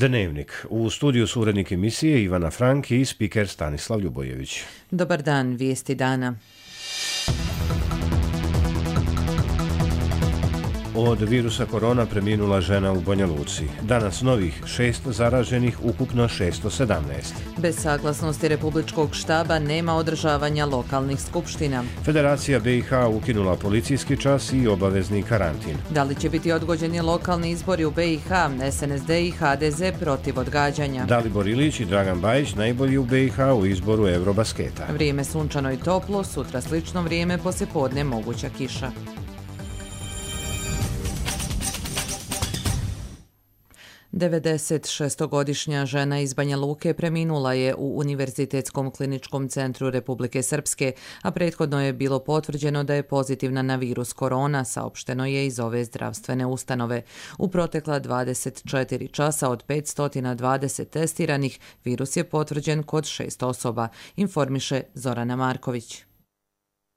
Dnevnik. U studiju su urednik emisije Ivana Frank i spiker Stanislav Ljubojević. Dobar dan, vijesti dana. Od virusa korona preminula žena u Banja Luci. Danas novih 6 zaraženih, ukupno 617. Bez saglasnosti Republičkog štaba nema održavanja lokalnih skupština. Federacija BiH ukinula policijski čas i obavezni karantin. Da li će biti odgođeni lokalni izbori u BiH, SNSD i HDZ protiv odgađanja? Dalibor Ilić i Dragan Bajić najbolji u BiH u izboru Eurobasketa. Vrijeme sunčano i toplo, sutra slično vrijeme, poslijepodne moguća kiša. Devedesetšestogodišnja žena iz Banja Luke preminula je u Univerzitetskom kliničkom centru Republike Srpske, a prethodno je bilo potvrđeno da je pozitivna na virus korona, saopšteno je iz ove zdravstvene ustanove. U protekla 24 časa od 520 testiranih, virus je potvrđen kod 6 osoba, informiše Zorana Marković.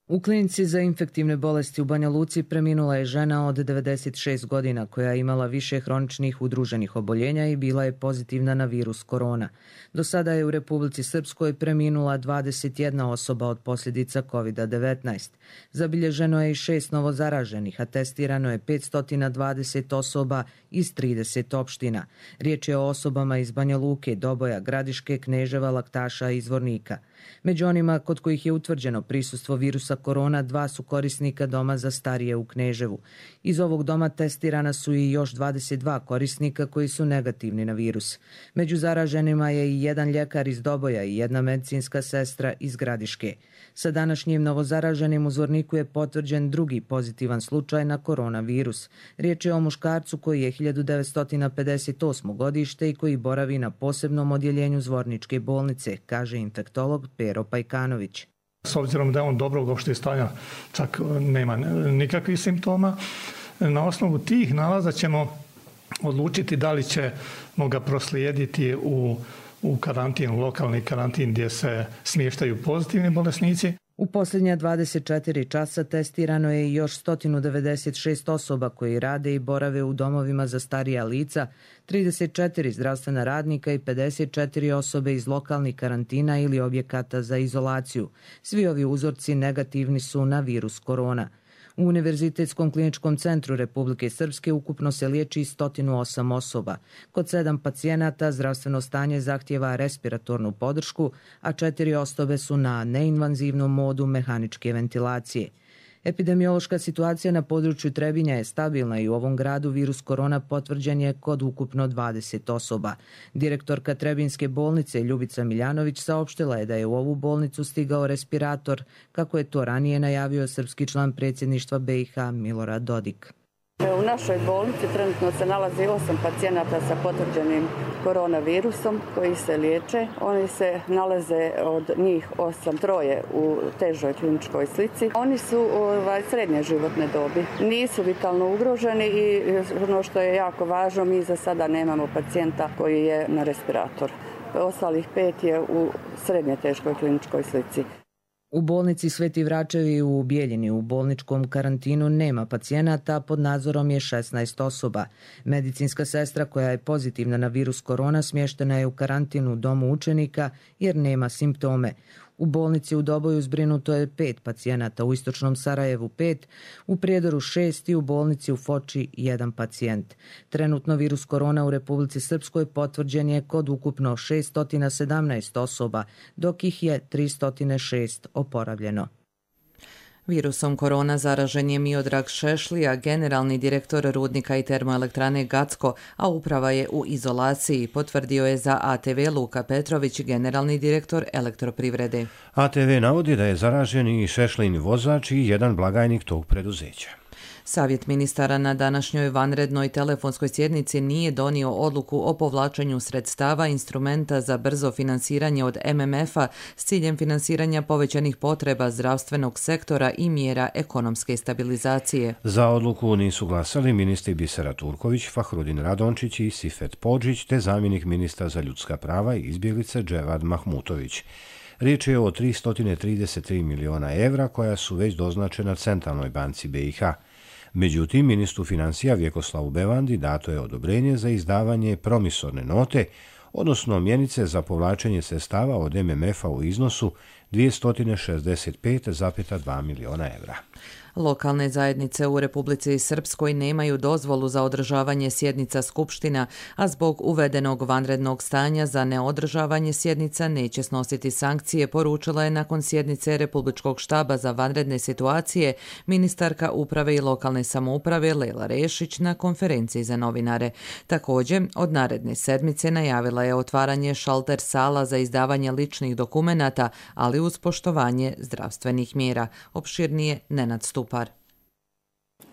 U klinici za infektivne bolesti u Banja Luci preminula je žena od 96 godina koja je imala više hroničnih udruženih oboljenja i bila je pozitivna na virus korona. Do sada je u Republici Srpskoj preminula 21 osoba od posljedica COVID-19. Zabilježeno je i 6 novozaraženih, a testirano je 520 osoba iz 30 opština. Riječ je o osobama iz Banja Luke, Doboja, Gradiške, Kneževa, Laktaša i Zvornika. Među onima kod kojih je utvrđeno prisustvo virusa korona, 2 su korisnika doma za starije u Kneževu. Iz ovog doma testirana su i još 22 korisnika koji su negativni na virus. Među zaraženima je i jedan ljekar iz Doboja i jedna medicinska sestra iz Gradiške. Sa današnjim novozaraženim u Zvorniku je potvrđen drugi pozitivan slučaj na koronavirus. Riječ je o muškarcu koji je 1958. godište i koji boravi na posebnom odjeljenju Zvorničke bolnice, kaže infektolog Pero Pajkanović. S obzirom da je on dobrog opšteg stanja, čak nema nikakvih simptoma, na osnovu tih nalaza ćemo odlučiti da li ćemo ga proslijediti u karantin, lokalni karantin gdje se smještaju pozitivni bolesnici. U posljednja 24 časa testirano je još 196 osoba koji rade i borave u domovima za starija lica, 34 zdravstvena radnika i 54 osobe iz lokalnih karantina ili objekata za izolaciju. Svi ovi uzorci negativni su na virus korona. U Univerzitetskom kliničkom centru Republike Srpske ukupno se liječi 108 osoba. Kod 7 pacijenata zdravstveno stanje zahtjeva respiratornu podršku, a 4 osobe su na neinvazivnom modu mehaničke ventilacije. Epidemiološka situacija na području Trebinja je stabilna i u ovom gradu virus korona potvrđen je kod ukupno 20 osoba. Direktorka Trebinjske bolnice Ljubica Miljanović saopštila je da je u ovu bolnicu stigao respirator, kako je to ranije najavio srpski član predsjedništva BiH Milorad Dodik. U našoj bolnici trenutno se nalazi 8 pacijenata sa potvrđenim koronavirusom koji se liječe. Oni se nalaze od njih 8, 3 u težoj kliničkoj slici. Oni su srednje životne dobi. Nisu vitalno ugroženi i ono što je jako važno, mi za sada nemamo pacijenta koji je na respiratoru. Ostalih 5 je u srednje teškoj kliničkoj slici. U bolnici Sveti Vračevi u Bijeljini u bolničkom karantinu nema pacijenata, pod nadzorom je 16 osoba. Medicinska sestra koja je pozitivna na virus korona smještena je u karantinu u domu učenika jer nema simptome. U bolnici u Doboju zbrinuto je 5 pacijenata, u istočnom Sarajevu 5, u Prijedoru 6 i u bolnici u Foči 1 pacijent. Trenutno virus korona u Republici Srpskoj potvrđen je kod ukupno 617 osoba, dok ih je 306 oporavljeno. Virusom korona zaražen je Miodrag Šešlija, generalni direktor rudnika i termoelektrane Gacko, a uprava je u izolaciji, potvrdio je za ATV Luka Petrović, generalni direktor Elektroprivrede. ATV navodi da je zaražen i Šešlin vozač i jedan blagajnik tog preduzeća. Savjet ministara na današnjoj vanrednoj telefonskoj sjednici nije donio odluku o povlačenju sredstava instrumenta za brzo finansiranje od MMF-a s ciljem finansiranja povećanih potreba zdravstvenog sektora i mjera ekonomske stabilizacije. Za odluku nisu glasali ministri Bisera Turković, Fahrudin Radončić i Sifet Podžić, te zamjenik ministra za ljudska prava i izbjeglice Dževad Mahmutović. Riječ je o 333 miliona evra koja su već doznačena Centralnoj banci BiH. Međutim, ministru financija Vjekoslavu Bevandi dato je odobrenje za izdavanje promisorne note, odnosno mjenice za povlačenje sredstava od MMF-a u iznosu 265,2 miliona evra. Lokalne zajednice u Republici Srpskoj nemaju dozvolu za održavanje sjednica skupština, a zbog uvedenog vanrednog stanja za neodržavanje sjednica neće snositi sankcije, poručila je nakon sjednice Republičkog štaba za vanredne situacije ministarka uprave i lokalne samouprave Lela Rešić na konferenciji za novinare. Također, od naredne sedmice najavila je otvaranje šalter sala za izdavanje ličnih dokumenata, ali uz poštovanje zdravstvenih mjera. Opširnije Nenad Stupar.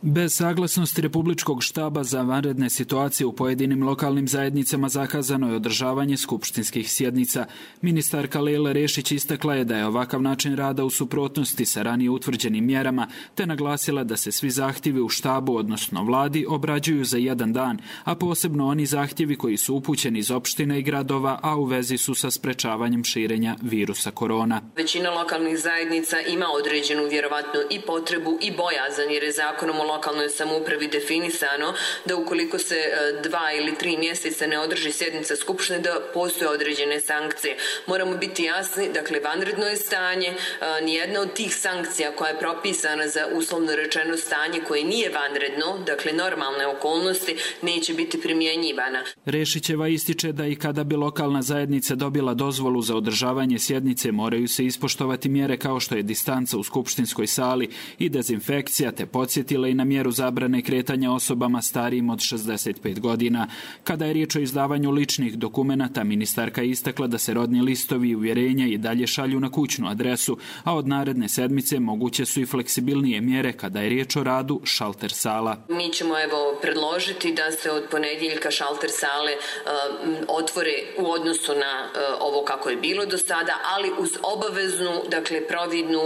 Bez saglasnosti Republičkog štaba za vanredne situacije u pojedinim lokalnim zajednicama zakazano je održavanje skupštinskih sjednica. Ministarka Lela Rešić istakla je da je ovakav način rada u suprotnosti sa ranije utvrđenim mjerama, te naglasila da se svi zahtjevi u štabu, odnosno vladi, obrađuju za jedan dan, a posebno oni zahtjevi koji su upućeni iz opština i gradova, a u vezi su sa sprečavanjem širenja virusa korona. Većina lokalnih zajednica ima određenu vjerovatno i potrebu i bojazan, jer je zakonom o lokalnoj samoupravi definisano da ukoliko se 2 ili 3 mjeseca ne održi sjednica skupštine, da postoje određene sankcije. Moramo biti jasni, dakle, vanredno je stanje, nijedna od tih sankcija koja je propisana za uslovno rečeno stanje koje nije vanredno, dakle normalne okolnosti, neće biti primjenjivana. Rešićeva ističe da i kada bi lokalna zajednica dobila dozvolu za održavanje sjednice, moraju se ispoštovati mjere kao što je distanca u skupštinskoj sali i dezinfekcija, te podsjetila i na mjeru zabrane kretanja osobama starijim od 65 godina. Kada je riječ o izdavanju ličnih dokumenata, ministarka je istakla da se rodni listovi i uvjerenja i dalje šalju na kućnu adresu, a od naredne sedmice moguće su i fleksibilnije mjere kada je riječ o radu šalter sala. Mi ćemo predložiti da se od ponedjeljka šalter sale otvore u odnosu na ovo kako je bilo do sada, ali uz obaveznu, dakle providnu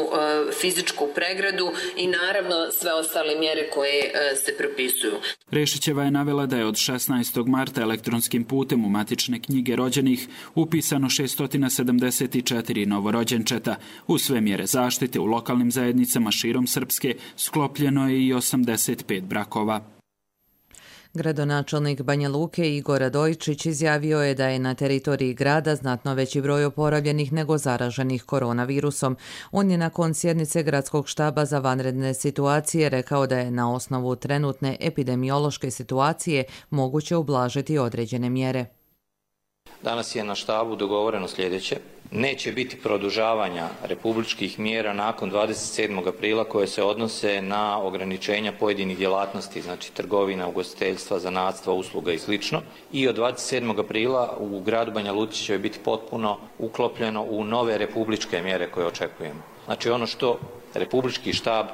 fizičku pregradu i naravno sve ostale mjere koje se propisuju. Rešićeva je navela da je od 16. marta elektronskim putem u matične knjige rođenih upisano 674 novorođenčeta. U sve mjere zaštite u lokalnim zajednicama širom Srpske sklopljeno je i 85 brakova. Gradonačelnik Banja Luke Igor Radojičić izjavio je da je na teritoriji grada znatno veći broj oporavljenih nego zaraženih koronavirusom. On je nakon sjednice Gradskog štaba za vanredne situacije rekao da je na osnovu trenutne epidemiološke situacije moguće ublažiti određene mjere. Danas je na štabu dogovoreno sljedeće. Neće biti produžavanja republičkih mjera nakon 27. aprila koje se odnose na ograničenja pojedinih djelatnosti, znači trgovina, ugostiteljstva, zanatstva, usluga i sl. I od 27. aprila u gradu Banja Luci će biti potpuno uklopljeno u nove republičke mjere koje očekujemo. Znači ono što republički štab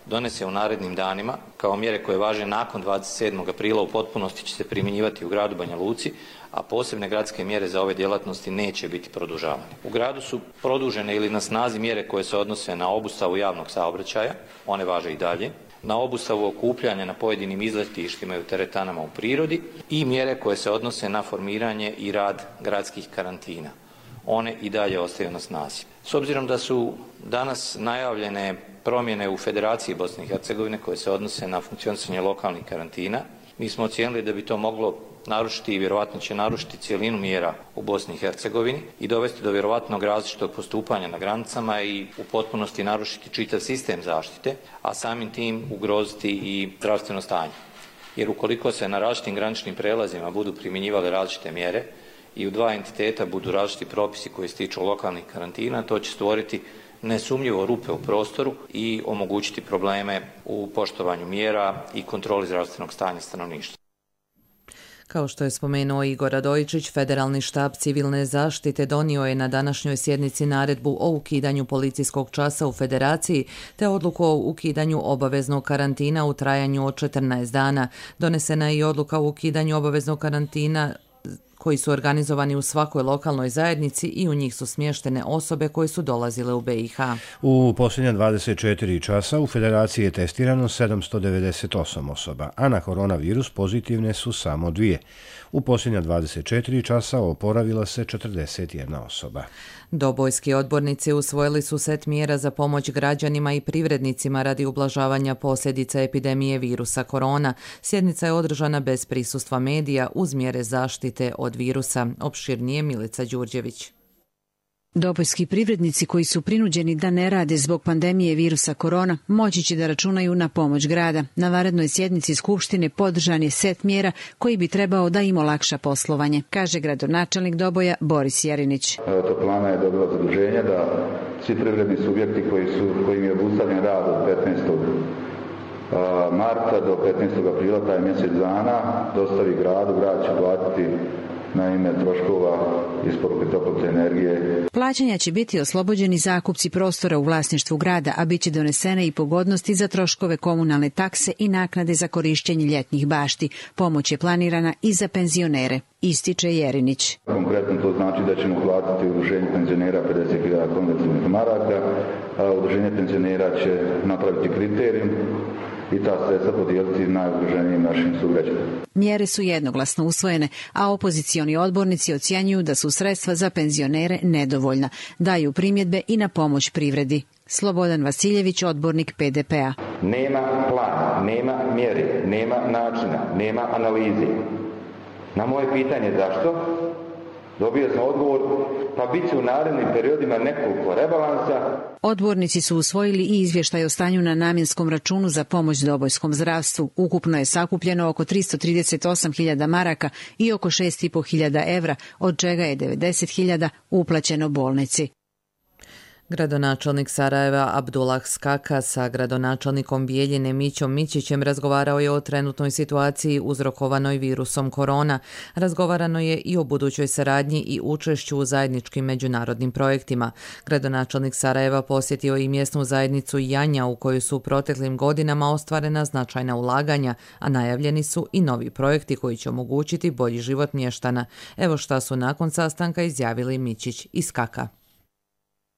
donese u narednim danima kao mjere koje važe nakon 27. aprila u potpunosti će se primjenjivati u gradu Banja Luci, a posebne gradske mjere za ove djelatnosti neće biti produžavane. U gradu su produžene ili na snazi mjere koje se odnose na obustavu javnog saobraćaja, one važe i dalje, na obustavu okupljanja na pojedinim izletištima i u teretanama u prirodi i mjere koje se odnose na formiranje i rad gradskih karantina. One i dalje ostaju na snazi. S obzirom da su danas najavljene promjene u Federaciji Bosne i Hercegovine koje se odnose na funkcionisanje lokalnih karantina, mi smo ocijenili da bi to moglo narušiti i vjerojatno će narušiti cijelinu mjera u Bosni i Hercegovini i dovesti do vjerojatnog različitog postupanja na granicama i u potpunosti narušiti čitav sistem zaštite, a samim tim ugroziti i zdravstveno stanje. Jer ukoliko se na različitim graničnim prelazima budu primjenjivale različite mjere i u dva entiteta budu različiti propisi koji se tiču lokalnih karantina, to će stvoriti nesumnjivo rupe u prostoru i omogućiti probleme u poštovanju mjera i kontroli zdravstvenog stanja stanovništva. Kao što je spomenuo Igor Radojičić, Federalni štab civilne zaštite donio je na današnjoj sjednici naredbu o ukidanju policijskog časa u Federaciji te odluku o ukidanju obaveznog karantina u trajanju od 14 dana. Donesena je i odluka o ukidanju obaveznog karantina koji su organizovani u svakoj lokalnoj zajednici i u njih su smještene osobe koje su dolazile u BiH. U posljednja 24 časa u Federaciji je testirano 798 osoba, a na koronavirus pozitivne su samo 2. U posljednja 24 časa oporavila se 41 osoba. Dobojski odbornici usvojili su set mjera za pomoć građanima i privrednicima radi ublažavanja posljedica epidemije virusa korona. Sjednica je održana bez prisustva medija uz mjere zaštite od virusa. Opširnije Milica Đurđević. Dobojski privrednici koji su prinuđeni da ne rade zbog pandemije virusa korona moći će da računaju na pomoć grada. Na vanrednoj sjednici Skupštine podržan je set mjera koji bi trebao da im olakša poslovanje, kaže gradonačelnik Doboja Boris Jerinić. Toplana je dobila zaduženje da svi privredni subjekti kojim je obustavljen rad od 15. marta do 15. aprila, taj mjesec dana, dostavi gradu, grad će platiti na ime troškova isporuke toplotne energije. Plaćanja će biti oslobođeni zakupci prostora u vlasništvu grada, a bit će donesene i pogodnosti za troškove komunalne takse i naknade za korištenje ljetnih bašti. Pomoć je planirana i za penzionere, ističe Jerinić. Konkretno to znači da ćemo platiti udruženju penzionera 50.000 konvencionalnih maraka, a udruženje penzionera će napraviti kriterijum i ta sredstva podijeliti najugroženijim našim sugrađanima. Mjere su jednoglasno usvojene, a opozicioni odbornici ocjenjuju da su sredstva za penzionere nedovoljna. Daju primjedbe i na pomoć privredi. Slobodan Vasiljević, odbornik PDP-a. Nema plana, nema mjere, nema načina, nema analize. Na moje pitanje zašto, dobio sam odgovor, pa bit će u narednim periodima nekoliko rebalansa. Odbornici su usvojili i izvještaj o stanju na namjenskom računu za pomoć dobojskom zdravstvu. Ukupno je sakupljeno oko 338.000 maraka i oko 6.500 evra, od čega je 90.000 uplaćeno bolnici. Gradonačelnik Sarajeva Abdullah Skaka sa gradonačelnikom Bijeljine Mićom Mićićem razgovarao je o trenutnoj situaciji uzrokovanoj virusom korona. Razgovarano je i o budućoj saradnji i učešću u zajedničkim međunarodnim projektima. Gradonačelnik Sarajeva posjetio i mjesnu zajednicu Janja u kojoj su u proteklim godinama ostvarena značajna ulaganja, a najavljeni su i novi projekti koji će omogućiti bolji život mještana. Evo šta su nakon sastanka izjavili Mićić i Skaka.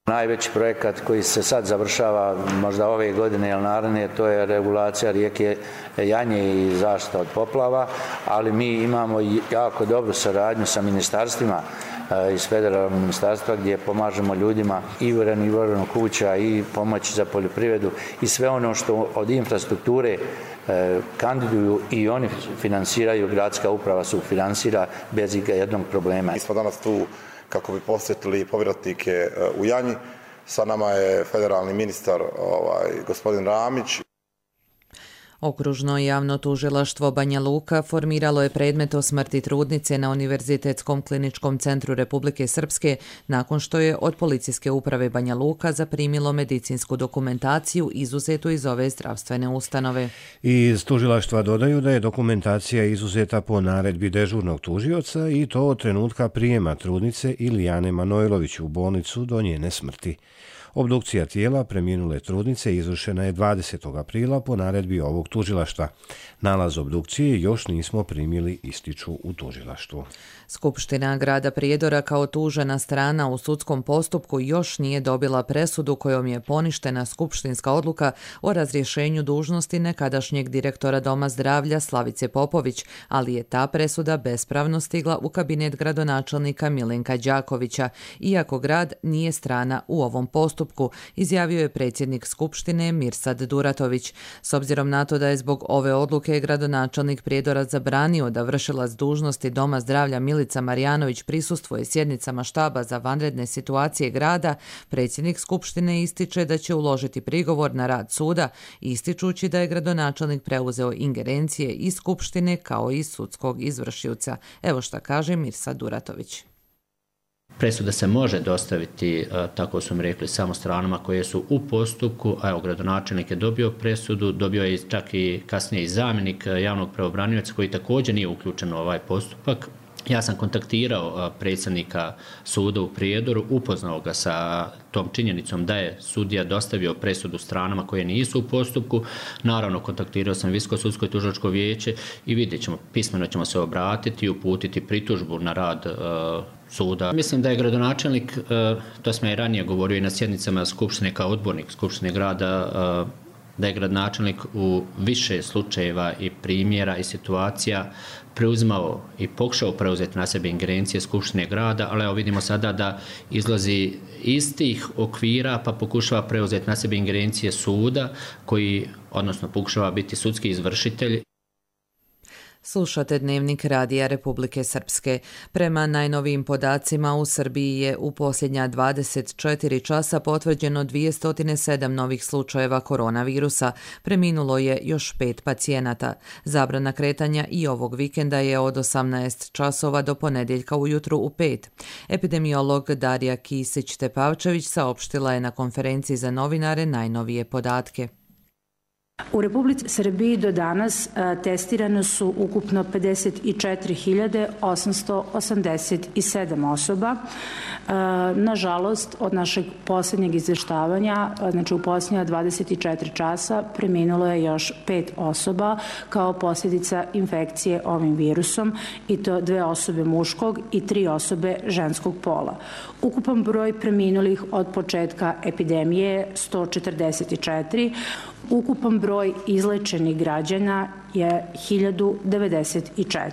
Najveći projekat koji se sad završava možda ove godine ili naredne, to je regulacija rijeke Janje i zaštita od poplava, ali mi imamo jako dobru saradnju sa ministarstvima iz federalnog ministarstva gdje pomažemo ljudima i u renoviranju kuća i pomoći za poljoprivredu i sve ono što od infrastrukture kandiduju i oni finansiraju, gradska uprava sufinansira bez jednog problema. Mi smo danas tu kako bi posjetili povratnike u Janji. Sa nama je federalni ministar gospodin Ramić. Okružno javno tužilaštvo Banja Luka formiralo je predmet o smrti trudnice na Univerzitetskom kliničkom centru Republike Srpske nakon što je od policijske uprave Banja Luka zaprimilo medicinsku dokumentaciju izuzetu iz ove zdravstvene ustanove. Iz tužilaštva dodaju da je dokumentacija izuzeta po naredbi dežurnog tužioca i to od trenutka prijema trudnice Ilijane Manojlović u bolnicu do njene smrti. Obdukcija tijela preminule trudnice izvršena je 20. aprila po naredbi ovog tužilaštva. Nalaz obdukcije još nismo primili, ističu u tužilaštvu. Skupština grada Prijedora kao tužena strana u sudskom postupku još nije dobila presudu kojom je poništena skupštinska odluka o razrješenju dužnosti nekadašnjeg direktora Doma zdravlja Slavice Popović, ali je ta presuda bespravno stigla u kabinet gradonačelnika Milenka Đakovića, iako grad nije strana u ovom postupku, izjavio je predsjednik Skupštine Mirsad Duratović. S obzirom na to da je zbog ove odluke gradonačelnik Prijedora zabranio da vršilac dužnosti Doma zdravlja Milica Marjanović prisustvuje sjednicama štaba za vanredne situacije grada, predsjednik Skupštine ističe da će uložiti prigovor na rad suda, ističući da je gradonačelnik preuzeo ingerencije iz Skupštine kao i sudskog izvršioca. Evo šta kaže Mirsad Duratović. Presuda se može dostaviti, tako su mi rekli, samo stranama koje su u postupku, a evo, gradonačelnik je dobio presudu, dobio je čak i kasnije i zamjenik javnog pravobranioca koji također nije uključen u ovaj postupak. Ja sam kontaktirao predsjednika suda u Prijedoru, upoznao ga sa tom činjenicom da je sudija dostavio presudu stranama koje nisu u postupku. Naravno, kontaktirao sam Visoko sudsko i tužilačko vijeće i vidjet ćemo, pismeno ćemo se obratiti i uputiti pritužbu na rad suda. Mislim da je gradonačelnik, to sam i ranije govorio i na sjednicama Skupštine kao odbornik Skupštine grada, da je gradonačelnik u više slučajeva i primjera i situacija preuzimao i pokušao preuzeti na sebe ingerencije Skupštine grada, ali evo vidimo sada da izlazi iz tih okvira pa pokušava preuzeti na sebe ingerencije suda koji, odnosno pokušava biti sudski izvršitelj. Slušate Dnevnik Radija Republike Srpske. Prema najnovijim podacima u Srbiji je u posljednja 24 časa potvrđeno 207 novih slučajeva koronavirusa. Preminulo je još 5 pacijenata. Zabrana kretanja i ovog vikenda je od 18 časova do ponedjeljka ujutru u 5. Epidemiolog Darija Kisić-Tepavčević saopštila je na konferenciji za novinare najnovije podatke. U Republici Srbiji do danas testirano su ukupno 54.887 osoba. Nažalost, od našeg posljednjeg izvještavanja, znači u posljednja 24 časa, preminulo je još 5 osoba kao posljedica infekcije ovim virusom, i to 2 osobe muškog i 3 osobe ženskog pola. Ukupan broj preminulih od početka epidemije je 144. Ukupan broj izlečenih građana je 1094.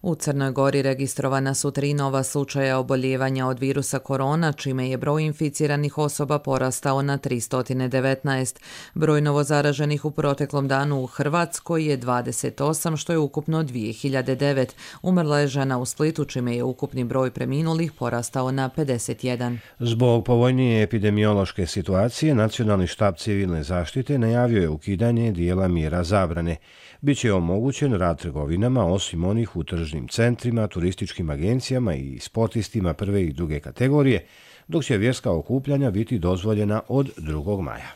U Crnoj Gori registrovana su 3 nova slučaja oboljevanja od virusa korona, čime je broj inficiranih osoba porastao na 319. Broj novozaraženih u proteklom danu u Hrvatskoj je 28, što je ukupno 2009. Umrla je žena u Splitu, čime je ukupni broj preminulih porastao na 51. Zbog povoljnije epidemiološke situacije, Nacionalni štab civilne zaštite najavio je ukidanje dijela mjera zabrane. Biće omogućen rad trgovinama osim onih u tržnim centrima, turističkim agencijama i sportistima prve i druge kategorije, dok će vjerska okupljanja biti dozvoljena od 2. maja.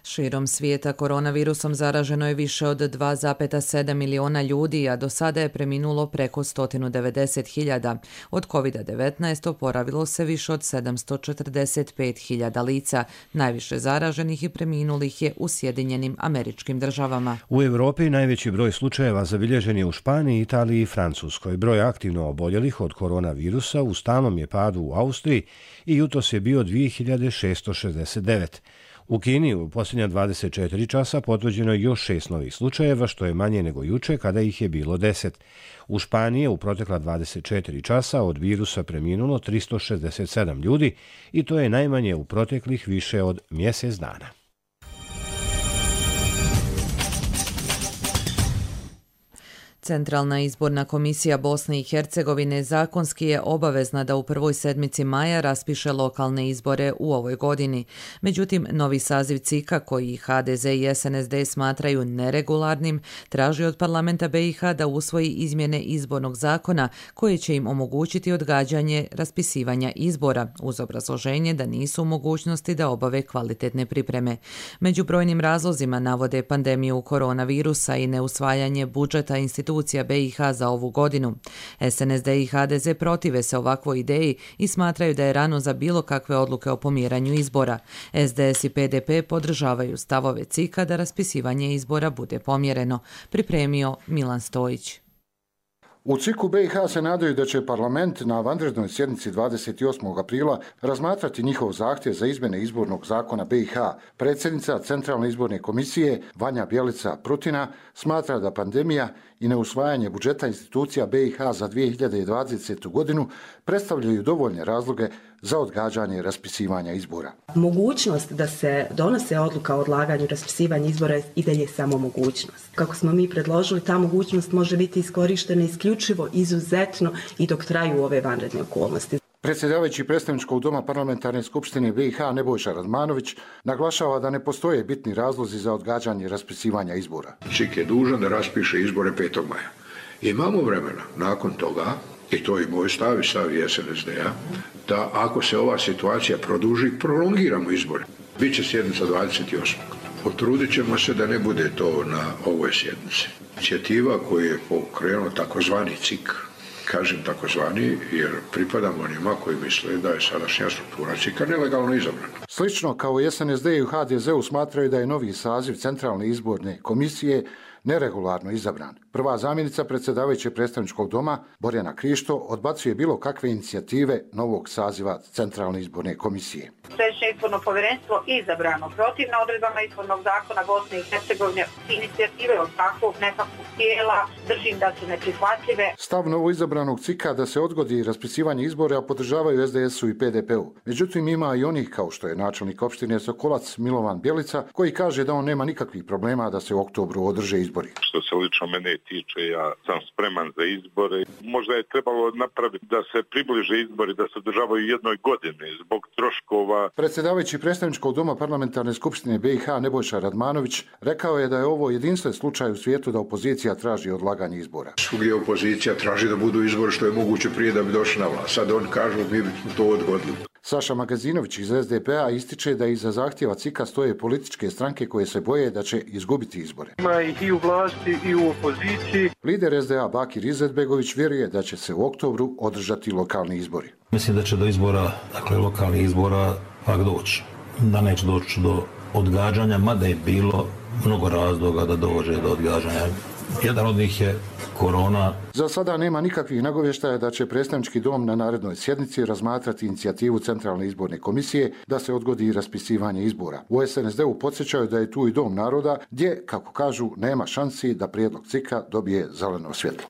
Širom svijeta koronavirusom zaraženo je više od 2,7 miliona ljudi, a do sada je preminulo preko 190.000. Od COVID-19 oporavilo se više od 745.000 lica. Najviše zaraženih i preminulih je u Sjedinjenim Američkim Državama. U Europi najveći broj slučajeva zabilježen je u Španiji, Italiji i Francuskoj. Broj aktivno oboljelih od koronavirusa u stalnom je padu u Austriji i jutros je bio 2669. U Kini u posljednja 24 časa potvrđeno je još 6 novih slučajeva, što je manje nego juče kada ih je bilo 10. U Španiji je u protekla 24 časa od virusa preminulo 367 ljudi i to je najmanje u proteklih više od mjesec dana. Centralna izborna komisija Bosne i Hercegovine zakonski je obavezna da u prvoj sedmici maja raspiše lokalne izbore u ovoj godini. Međutim, novi saziv CIK-a, koji HDZ i SNSD smatraju neregularnim, traži od parlamenta BiH da usvoji izmjene izbornog zakona koje će im omogućiti odgađanje raspisivanja izbora, uz obrazloženje da nisu u mogućnosti da obave kvalitetne pripreme. Među brojnim razlozima navode pandemiju koronavirusa i neusvajanje budžeta institucija BiH za ovu godinu. SNSD i HDZ protive se ovakvoj ideji i smatraju da je rano za bilo kakve odluke o pomjeranju izbora. SDS i PDP podržavaju stavove CIK-a da raspisivanje izbora bude pomjereno, pripremio Milan Stojić. U CIK-u BiH se nadaju da će parlament na vanrednoj sjednici 28. aprila razmatrati njihov zahtjev za izmjene izbornog zakona BiH. Predsjednica Centralne izborne komisije Vanja Bjelica-Prutina smatra da pandemija i neusvajanje budžeta institucija BiH za 2020. godinu predstavljaju dovoljne razloge za odgađanje raspisivanja izbora. Mogućnost da se donose odluka o odlaganju raspisivanja izbora je i dalje samo mogućnost. Kako smo mi predložili, ta mogućnost može biti iskorištena isključivo, izuzetno i dok traju ove vanredne okolnosti. Predsjedavajući predstavničkog doma parlamentarne skupštine BiH Nebojša Radmanović naglašava da ne postoje bitni razlozi za odgađanje raspisivanja izbora. CIK je dužan da raspiše izbore 5. maja. Imamo vremena nakon toga, i to je moj stav i stav SNSD-a, da ako se ova situacija produži, prolongiramo izbore. Biće sjednica 28. Potrudit ćemo se da ne bude to na ovoj sjednici. Inicijativa koju je pokrenuo takozvani CIK Kažem takozvani jer pripadamo onima koji misle da je sadašnja struktura CIK-a nelegalno izabrana. Slično kao i SNSD i HDZ-u smatraju da je novi saziv Centralne izborne komisije neregularno izabran. Prva zamjenica predsjedavajućeg predstavničkog doma, Borjana Krišto, odbacuje bilo kakve inicijative novog saziva Centralne izborne komisije. Središnje izborno povjerenstvo izabrano protivno odredbama izbornog zakona Bosne i Hercegovine, inicijative od takvog nekakvog tijela držim da su neprihvatljive. Stav novoizabranog CIK-a da se odgodi raspisivanje izbora podržavaju SDS-u i PDP-u. Međutim, ima i onih, kao što je načelnik opštine Sokolac Milovan Bjelica, koji kaže da on nema nikakvih problema da se u oktobru održe izbori. Što se lično mene tiče, ja sam spreman za izbore. Možda je trebalo napraviti da se približe izbori, da se održavaju jednoj godini zbog troškova. Predsjedavajući predstavničkog doma parlamentarne skupštine BiH Nebojša Radmanović rekao je da je ovo jedinstven slučaj u svijetu da opozicija traži odlaganje izbora. Svugdje opozicija traži da budu izbori što je moguće prije da bi došli na vlast. Sad on kažu mi bi to odgodili. Saša Magazinović iz SDP-a ističe da iza zahtjeva CIK-a stoje političke stranke koje se boje da će izgubiti izbore. Ima ih i u vlasti i u opoziciji. Lider SDA Bakir Izetbegović vjeruje da će se u oktobru održati lokalni izbori. Mislim da će do izbora, dakle lokalnih izbora, pak doći. Da neće doći do odgađanja, mada je bilo mnogo razloga da dođe do odgađanja. Jedan od njih je korona. Za sada nema nikakvih nagovještaja da će predstavnički dom na narednoj sjednici razmatrati inicijativu Centralne izborne komisije da se odgodi raspisivanje izbora. U SNSD-u podsjećaju da je tu i Dom naroda gdje, kako kažu, nema šansi da prijedlog CIK-a dobije zeleno svjetlo.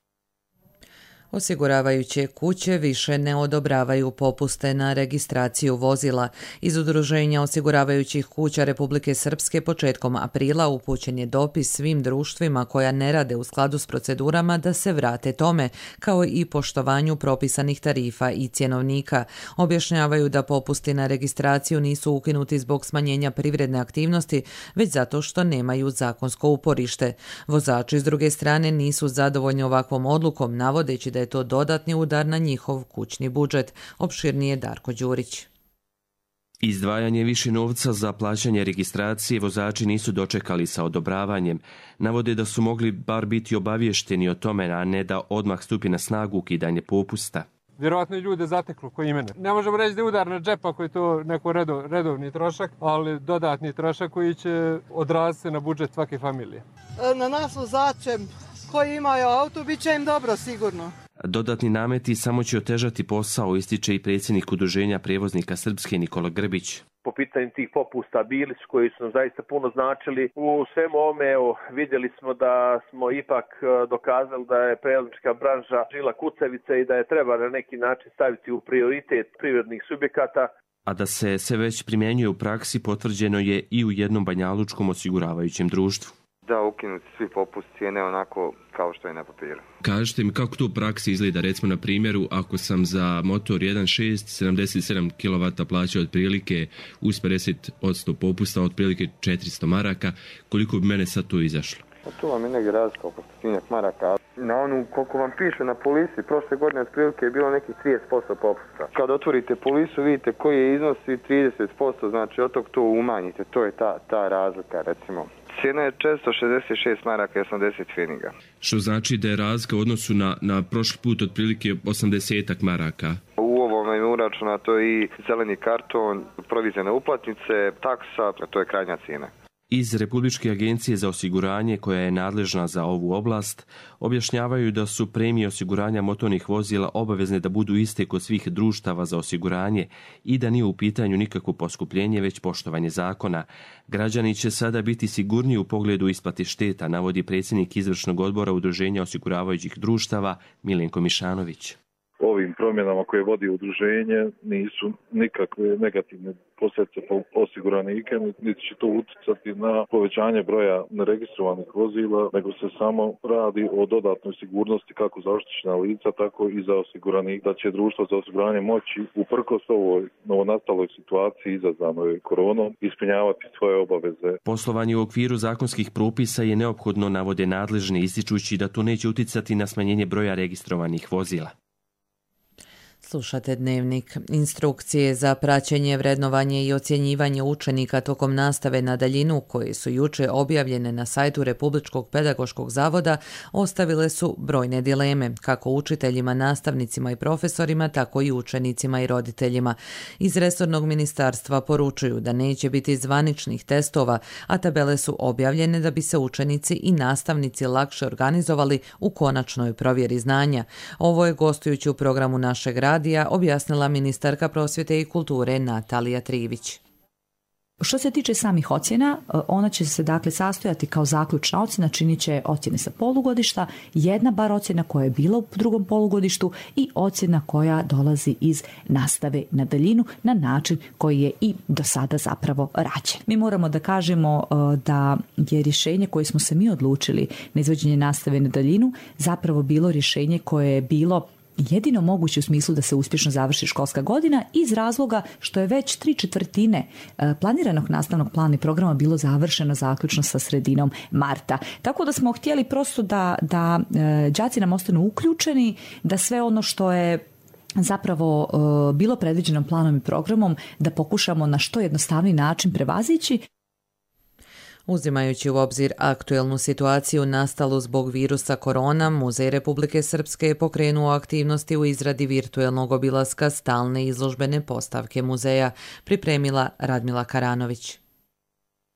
Osiguravajuće kuće više ne odobravaju popuste na registraciju vozila. Iz Udruženja osiguravajućih kuća Republike Srpske početkom aprila upućen je dopis svim društvima koja ne rade u skladu s procedurama da se vrate tome, kao i poštovanju propisanih tarifa i cjenovnika. Objašnjavaju da popusti na registraciju nisu ukinuti zbog smanjenja privredne aktivnosti, već zato što nemaju zakonsko uporište. Vozači s druge strane nisu zadovoljni ovakvom odlukom, navodeći da je to dodatni udar na njihov kućni budžet. Opširnije Darko Đurić. Izdvajanje više novca za plaćanje registracije vozači nisu dočekali sa odobravanjem. Navode da su mogli bar biti obavješteni o tome, a ne da odmah stupi na snagu ukidanje popusta. Vjerojatno i ljude zateklo koji mene. Ne možemo reći da je udar na džep ako je to neko redovni trošak, ali dodatni trošak koji će odraziti na budžet svake familije. Na nas vozače koji imaju auto bit će im dobro sigurno. Dodatni nameti samo će otežati posao, ističe i predsjednik Udruženja prijevoznika Srpske Nikola Grbić. Po pitanju tih popusta bili su koji su nam zaista puno značili. U svemu ovome vidjeli smo da smo ipak dokazali da je prevoznička branža žila kucavica i da je treba na neki način staviti u prioritet privrednih subjekata. A da se sve već primjenjuje u praksi potvrđeno je i u jednom banjalučkom osiguravajućem društvu. Da, ukinuti svi popust cijene onako kao što je na papiru. Kažete mi kako to u praksi izgleda, recimo na primjeru ako sam za motor 1.6 77 kW plaćao otprilike uz 50% popusta, otprilike 400 maraka, koliko bi mene sad to izašlo? Tu vam je negdje razlika oko 100 maraka. Na onu koliko vam piše na polisi, prošle godine otprilike je bilo nekih 30% popusta. Kad otvorite polisu vidite koji je iznos i 30%, znači od tog to umanjite, to je ta razlika recimo. Cijena je 466 maraka i 80 pfeniga. Što znači da je razlika u odnosu na prošli put otprilike 80 maraka. U ovome je uračunato i zeleni karton, provizijne uplatnice, taksa, to je krajnja cijena. Iz Republičke agencije za osiguranje, koja je nadležna za ovu oblast, objašnjavaju da su premije osiguranja motornih vozila obavezne da budu iste kod svih društava za osiguranje i da nije u pitanju nikakvo poskupljenje, već poštovanje zakona. Građani će sada biti sigurniji u pogledu isplate šteta, navodi predsjednik izvršnog odbora Udruženja osiguravajućih društava Milenko Mišanović. Ovim promjenama koje vodi udruženje nisu nikakve negativne posljedice po osiguranike, niti će to utjecati na povećanje broja neregistrovanih vozila, nego se samo radi o dodatnoj sigurnosti kako za oštećena lica, tako i za osiguranik, da će društvo za osiguranje moći uprkos ovoj novonastaloj situaciji izazvanoj koronom ispunjavati svoje obaveze. Poslovanje u okviru zakonskih propisa je neophodno, navode nadležni, ističući da to neće utjecati na smanjenje broja registrovanih vozila. Slušate Dnevnik. Instrukcije za praćenje, vrednovanje i ocjenjivanje učenika tokom nastave na daljinu, koje su juče objavljene na sajtu Republičkog pedagoškog zavoda, ostavile su brojne dileme, kako učiteljima, nastavnicima i profesorima, tako i učenicima i roditeljima. Iz resornog ministarstva poručuju da neće biti zvaničnih testova, a tabele su objavljene da bi se učenici i nastavnici lakše organizovali u konačnoj provjeri znanja. Ovo je gostujući u programu našeg radija objasnila ministarka prosvjete i kulture Natalija Trivić. Što se tiče samih ocjena, ona će se dakle sastojati kao zaključna ocjena, činit će ocjene sa polugodišta, jedna bar ocjena koja je bila u drugom polugodištu i ocjena koja dolazi iz nastave na daljinu na način koji je i do sada zapravo rađen. Mi moramo da kažemo da je rješenje koje smo se mi odlučili na izvođenje nastave na daljinu zapravo bilo rješenje koje je bilo jedino moguće u smislu da se uspješno završi školska godina iz razloga što je već 3/4 planiranog nastavnog plana i programa bilo završeno zaključno sa sredinom marta. Tako da smo htjeli prosto da đaci nam ostanu uključeni, da sve ono što je zapravo bilo predviđeno planom i programom da pokušamo na što jednostavniji način prevazići. Uzimajući u obzir aktuelnu situaciju nastalu zbog virusa korona, Muzej Republike Srpske je pokrenuo aktivnosti u izradi virtuelnog obilaska stalne izložbene postavke muzeja, pripremila Radmila Karanović.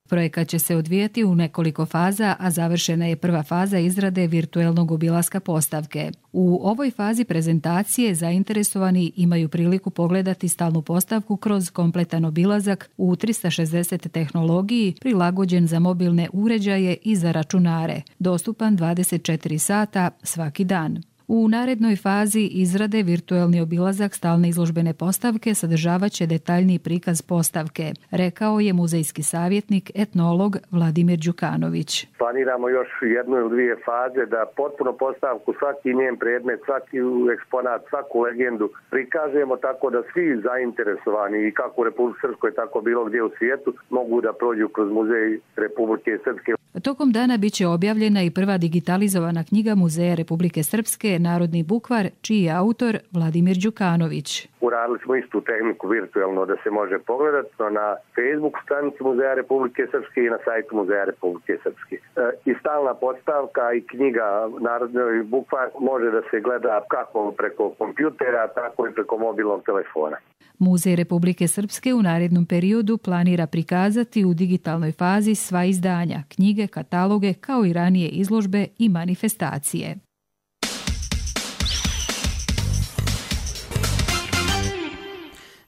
Projekat će se odvijati u nekoliko faza, a završena je prva faza izrade virtuelnog obilaska postavke. U ovoj fazi prezentacije zainteresovani imaju priliku pogledati stalnu postavku kroz kompletan obilazak u 360 tehnologiji, prilagođen za mobilne uređaje i za računare, dostupan 24 sata svaki dan. U narednoj fazi izrade virtuelni obilazak stalne izložbene postavke sadržavaće detaljniji prikaz postavke, rekao je muzejski savjetnik, etnolog Vladimir Đukanović. Planiramo još jednu ili dvije faze da potpuno postavku, svaki njen predmet, svaki eksponat, svaku legendu prikažemo tako da svi zainteresovani i kako u Republike Srpskoj, tako bilo gdje u svijetu, mogu da prođu kroz Muzej Republike Srpske. Tokom dana biće objavljena i prva digitalizovana knjiga Muzeja Republike Srpske, Narodni bukvar, čiji je autor Vladimir Đukanović. Uradili smo istu tehniku virtualno da se može pogledati na Facebook stranici Muzeja Republike Srpske i na sajtu Muzeja Republike Srpske. I stalna postavka i knjiga Narodni bukvar može da se gleda kako preko kompjutera, tako i preko mobilnog telefona. Muzej Republike Srpske u narednom periodu planira prikazati u digitalnoj fazi sva izdanja, knjige, kataloge, kao i ranije izložbe i manifestacije.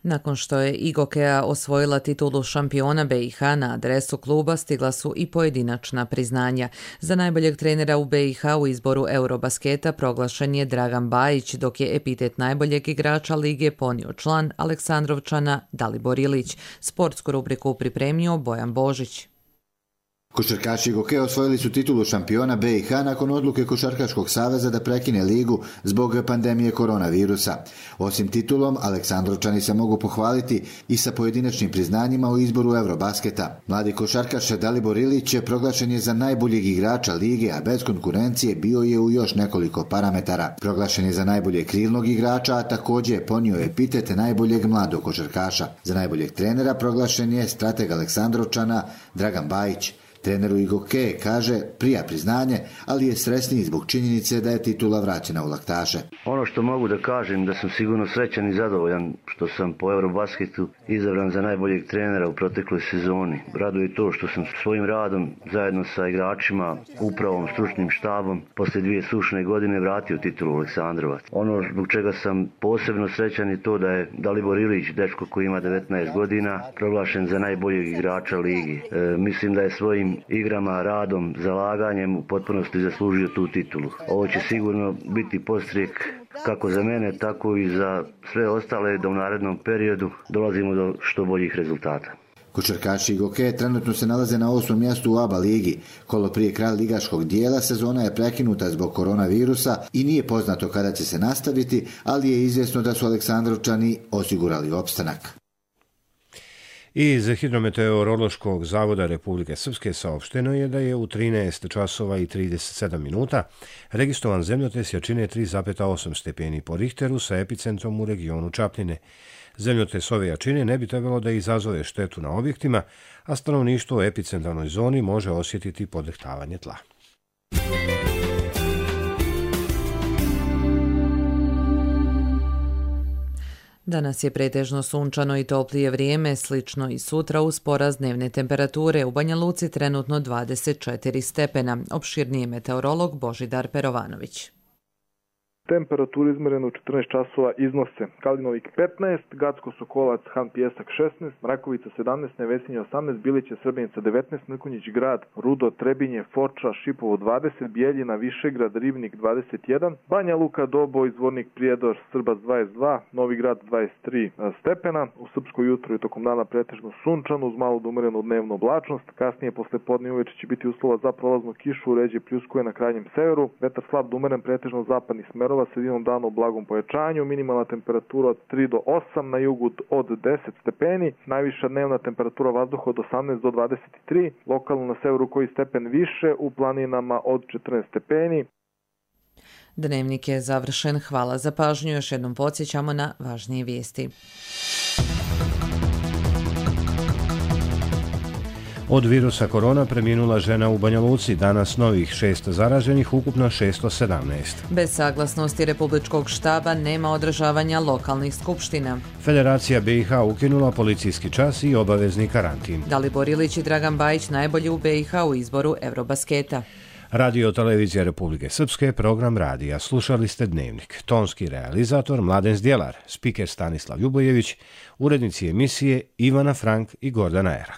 Nakon što je Igokea osvojila titulu šampiona BiH, na adresu kluba stigla su i pojedinačna priznanja. Za najboljeg trenera u BiH u izboru Eurobasketa proglašen je Dragan Bajić, dok je epitet najboljeg igrača lige ponio član Aleksandrovčana Dalibor Ilić. Sportsku rubriku pripremio Bojan Božić. Košarkaši Igokea osvojili su titulu šampiona BiH nakon odluke Košarkaškog saveza da prekine ligu zbog pandemije koronavirusa. Osim titulom, Aleksandrovčani se mogu pohvaliti i sa pojedinačnim priznanjima u izboru Eurobasketa. Mladi košarkaš Dalibor Ilić proglašen je za najboljeg igrača lige, a bez konkurencije bio je u još nekoliko parametara. Proglašen je za najboljeg krilnog igrača, a također je ponio epitet najboljeg mladog košarkaša. Za najboljeg trenera proglašen je strateg Aleksandrovčana Dragan Bajić. Treneru Igokee kaže prija priznanje, ali je sretniji zbog činjenice da je titula vraćena u laktaše. Ono što mogu da kažem da sam sigurno srećan i zadovoljan što sam po Eurobasketu izabran za najboljeg trenera u protekloj sezoni. Raduje to što sam svojim radom zajedno sa igračima, upravom, stručnim štabom poslije 2 sušne godine vratio titulu Aleksandrovac. Ono zbog čega sam posebno srećan je to da je Dalibor Ilić, dečko koji ima 19 godina, proglašen za najboljeg igrača ligi. Mislim da je svojim igrama, radom, zalaganjem u potpunosti zaslužio tu titulu. Ovo će sigurno biti podstrijek kako za mene, tako i za sve ostale da u narednom periodu dolazimo do što boljih rezultata. Košarkaši Igokee trenutno se nalaze na 8. mjestu u ABA ligi. Kolo prije kraja ligaškog dijela sezona je prekinuta zbog koronavirusa i nije poznato kada će se nastaviti, ali je izvjesno da su Aleksandrovčani osigurali opstanak. Iz Hidrometeorološkog zavoda Republike Srpske saopšteno je da je u 13 časova i 37 minuta registrovan zemljotres jačine 3,8 stepeni po Richteru sa epicentrom u regionu Čapljine. Zemljotres ove jačine ne bi trebalo da izazove štetu na objektima, a stanovništvo u epicentralnoj zoni može osjetiti podrhtavanje tla. Danas je pretežno sunčano i toplije vrijeme, slično i sutra uz porast dnevne temperature. U Banja Luci trenutno 24 stepena. Opširniji meteorolog Božidar Perovanović. Temperaturu izmerenu u 14 časova iznose Kalinovik 15, Gacko Sokolac, Han Pjesak 16, Mrakovica 17, Nevesinje 18, Biliće Srbenica 19, Mrkonjić Grad, Rudo, Trebinje, Foča, Šipovo 20, Bijeljina, Višegrad, Rivnik 21, Banja Luka, Doboj, Zvornik, Prijedor, Srbac 22, Novi Grad 23 stepena. U Srpsko jutro i tokom dana pretežno sunčano uz malo do umerenu dnevnu oblačnost. Kasnije posle podne uveče će biti uslova za prolaznu kišu, ređe pljuskuje na krajnjem severu. Vetar slab do umeren pretežno zapadnih smerova, sredinom dana u blagom pojačanju, minimalna temperatura od 3 do 8, na jugu od 10 stepeni, najviša dnevna temperatura vazduha od 18 do 23, lokalno na severu koji stepen više, u planinama od 14 stepeni. Dnevnik je završen. Hvala za pažnju. Još jednom podsjećamo na važnije vijesti. Od virusa korona preminula žena u Banja Luci, danas novih 6 zaraženih, ukupno 617. Bez saglasnosti Republičkog štaba nema održavanja lokalnih skupština. Federacija BiH ukinula policijski čas i obavezni karantin. Dalibor Ilić i Dragan Bajić najbolji u BiH u izboru Eurobasketa. Radio Televizija Republike Srpske, program radija. Slušali ste Dnevnik. Tonski realizator Mladen Zdjelar, spiker Stanislav Ljubojević, urednici emisije Ivana Frank i Gordana Erak.